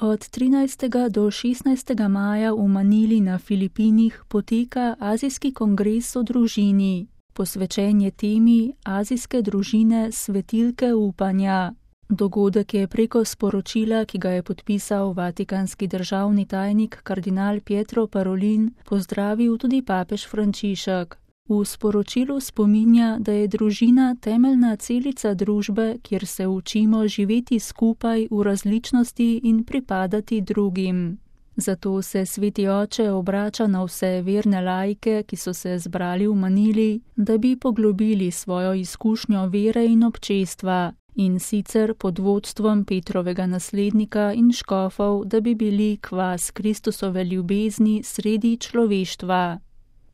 Od 13. do 16. maja v Manili na Filipinih poteka Azijski kongres o družini. Posvečen je temi Azijske družine svetilke upanja. Dogodek je preko sporočila, ki ga je podpisal vatikanski državni tajnik kardinal Pietro Parolin, pozdravil tudi papež Frančišek. V sporočilu spominja, da je družina temeljna celica družbe, kjer se učimo živeti skupaj v različnosti in pripadati drugim. Zato se Sveti Oče obrača na vse verne laike, ki so se zbrali v Manili, da bi poglobili svojo izkušnjo vere in občestva, in sicer pod vodstvom Petrovega naslednika in škofov, da bi bili kvas Kristusove ljubezni sredi človeštva.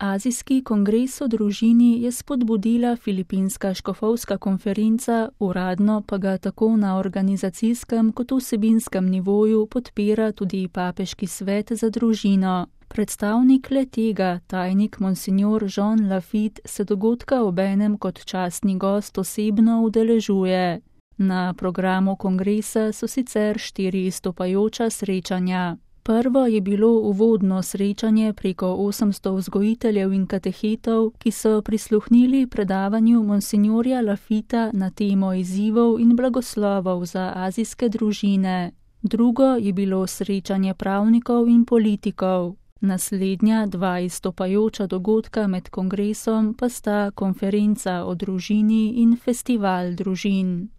Azijski kongres o družini je spodbudila Filipinska škofovska konferenca, uradno pa ga tako na organizacijskem kot vsebinskem nivoju podpira tudi Papeški svet za družino. Predstavnik le-tega, tajnik monsignor Jean Lafitte, se dogodka obenem kot častni gost osebno udeležuje. Na programu kongresa so sicer 4 izstopajoča srečanja. Prvo je bilo uvodno srečanje preko 800 vzgojiteljev in katehetov, ki so prisluhnili predavanju monsignorja Lafitta na temo izzivov in blagoslovov za azijske družine. Drugo je bilo srečanje pravnikov in politikov. Naslednja 2 izstopajoča dogodka med kongresom pa sta konferenca o družini in festival družin.